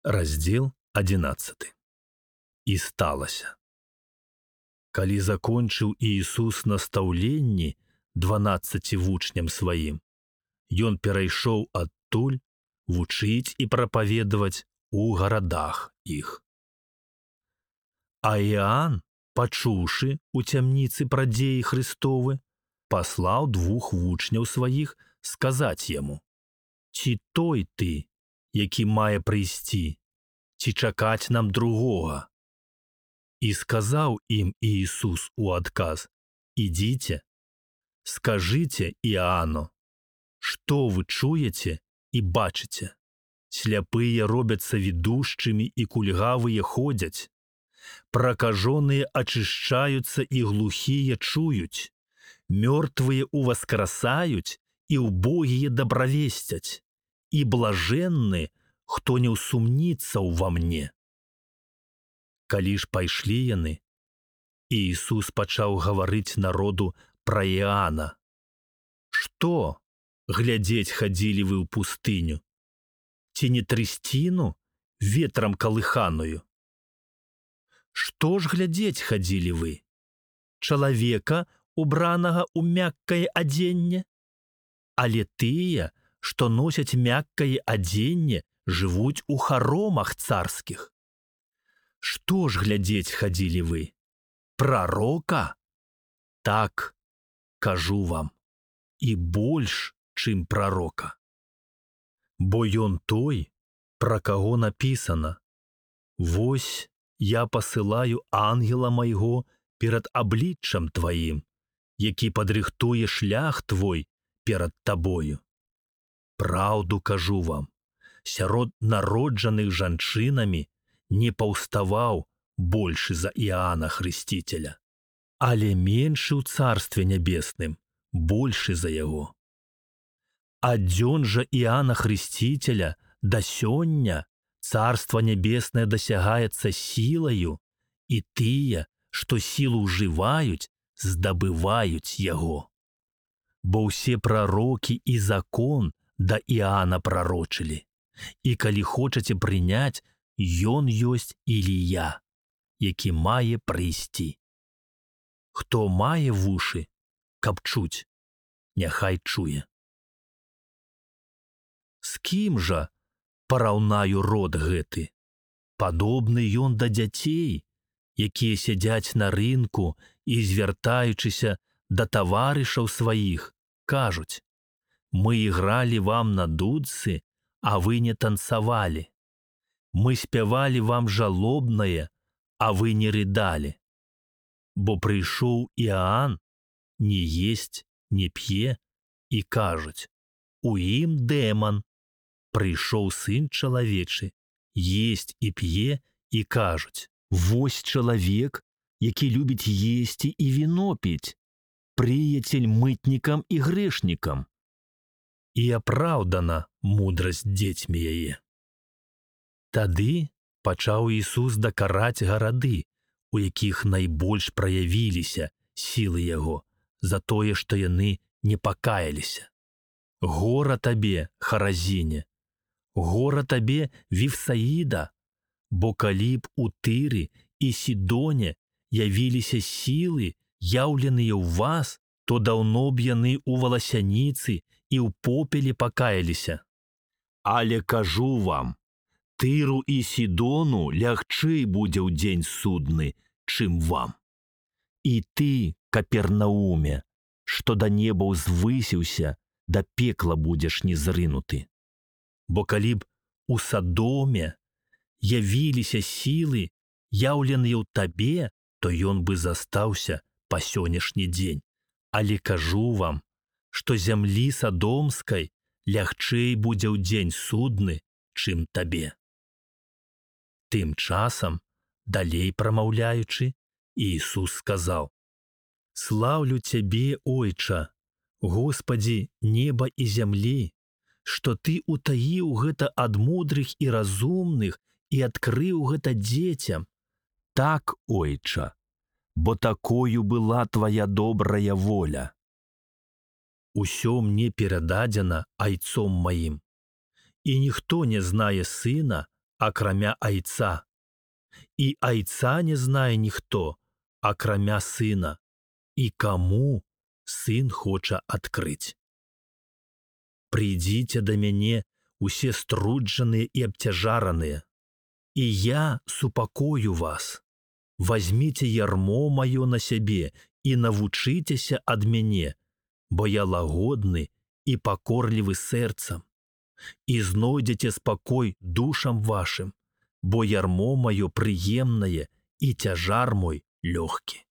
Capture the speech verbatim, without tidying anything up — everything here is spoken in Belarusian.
Раздзел адзінаццаты. І сталася. Калі закончыў Іісус настаўленні дванаццаці вучням сваім, ён перайшоў адтуль вучыць і прапаведаваць у гарадах іх. А Іоанн, пачуўшы ў цямніцы пра дзеі Христовы, паслаў двух вучняў сваіх сказаць яму: «Ці той ты, які мае прыйсці, ці чакаць нам другога?» І сказаў ім Іісус у адказ: «Ідзіце, скажыце Іоанну, што вы чуеце і бачыце. Сляпыя робяцца відушчымі і кульгавыя ходзяць, пракажоныя ачышчаюцца і глухія чуюць, мёртвыя ўваскрасаюць і ўбогія дабравесцяць, і блажэнны, хто не ўсумніцца ўва мне». Калі ж пайшлі яны, Іісус пачаў гаварыць народу пра Іоанна: «Што, глядзець хадзілі вы ў пустыню? Ці не трысціну ветрам калыханую? Што ж глядзець хадзілі вы? Чалавека, убранага ў мяккае адзенне? Але тыя, што носяць мяккае адзенне, жывуць у харомах царскіх. Што ж глядзець хадзілі вы? Прарока? Так, кажу вам, і больш, чым прарока. Бо ён той, пра каго напісана: «Вось я пасылаю ангела майго перад абліччам тваім, які падрыхтуе шлях твой перад табою. Праўду кажу вам, сярод народжаных жанчынамі не паўставаў большы за Іоанна Хрысціцеля, але меншы ў царстве нябесным большы за яго. Ад дзён жа Іоанна Хрысціцеля да сёння царства нябеснае дасягаецца сілаю, і тыя, што сілу ўжываюць, здабываюць яго. Бо ўсе прарокі і закон да Іоанна прарочылі, і калі хочаце прыняць, ён ёсць Ілія, які мае прыйсці. Хто мае вушы, каб чуць, няхай чуе». З кім жа параўнаю род гэты? Падобны ён да дзяцей, якія сядзяць на рынку і, звяртаючыся да таварышаў сваіх, кажуць: «Мы ігралі вам на дудцы, а вы не танцавалі. Мы спявалі вам жалобнае, а вы не рыдалі. Бо прыйшоў Іоанн, не есць, не п'е, і кажуць: у ім дэман. Прыйшоў сын чалавечы, есць і п'е, і кажуць: вось чалавек, які любіць есці і віно піць, прыяцель мытнікам і грэшнікам». І апраўдана мудрасць дзецьмі яе. Тады пачаў Ісус дакараць гарады, у якіх найбольш праявіліся сілы яго, за тое, што яны не пакаяліся. «Гора табе, Харазіне! Гора табе, Вифсаіда! Бо калі б у Тыры і Сідоне явіліся сілы, яўленыя ў вас, то даўно б яны ў валасяніцы і ў попеле пакаяліся. Але кажу вам, Тыру і Сідону лягчэй будзе ў дзень судны, чым вам. І ты, Капернауме, што да неба ўзвысіўся, да пекла будзеш незрынуты. Бо калі б у Садоме явіліся сілы, яўленыя ў табе, то ён бы застаўся па сённяшні дзень. Але кажу вам, што зямлі садомскай лягчэй будзе ў дзень судны, чым табе». Тым часам, далей прамаўляючы, Іісус сказаў: «Слаўлю цябе, Ойча, Господі неба і зямлі, што ты утаіў гэта ад мудрых і разумных і адкрыў гэта дзецям. Так, Ойча, бо такою была твая добрая воля. Усё мне перададзена айцом маім, і ніхто не знае сына, акрамя Айца, и Айца не знае ніхто, акрамя Сына, і каму Сын хоча адкрыць. Прыйдзіце да мяне усе струджаныя і абцяжараныя, і я супакою вас. Вазьміце ярмо маё на сябе і навучыцеся ад мяне, бо я лагодны і пакорлівы сэрцам, і знойдзеце спакой душам вашым, бо ярмо маё прыемнае і цяжар мой лёгкі.